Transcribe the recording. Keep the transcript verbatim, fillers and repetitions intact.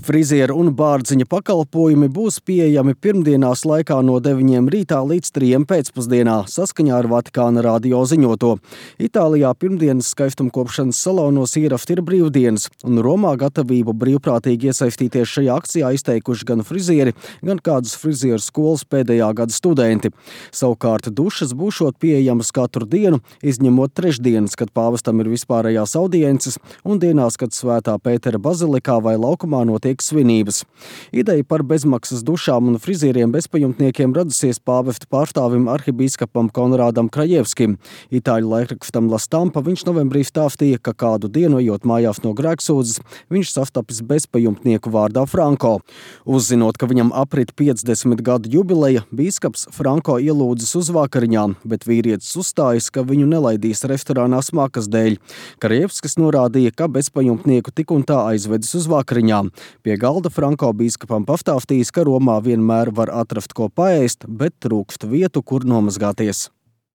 Frizieru un bārdziņa pakalpojumi būs pieejami pirmdienās laikā no deviņiem rītā līdz trijiem pēcpusdienā, saskaņā ar Vatikāna radio ziņoto. Itālijā pirmdienas skaistumkopšanas salonos ierafti ir brīvdienas, un Romā gatavību brīvprātīgi iesaistīties šajā akcijā izteikuši gan frizieri, gan kādas frizieru skolas pēdējā gada studenti. Savukārt dušas būšot pieejamas katru dienu, izņemot trešdienas, kad pāvestam ir vispārējās audiences, un dienās, kad Svētā Pētera bazilikā vai laukumā notiek svinības. Ideja par bezmaksas dušām un frizieriem bezpajumtniekiem radusies pāvesta pārstāvim arhibīskapam Konrādam Krajevskim. Itāļu laikrakstam La Stampa viņš novembrī stāstīja, ka kādu dienu, ejot mājās no grēksūdzes, viņš sastapis bezpajumtnieku vārdā Franko. Uzzinot, ka viņam aprit piecdesmit gadu jubileja, bīskaps Franko ielūdzis uz vakariņām, bet vīrietis uzstājas, ka viņu nelaidīs restorānā smakas dēļ. Krajevskis norādīja, ka bezpajumtnieku tik un tā aizvedis uz vakariņām. Pie galda Franko bīskapam pastāstījis, ka Romā vienmēr var atrast ko paēst, bet trūkst vietu, kur nomazgāties.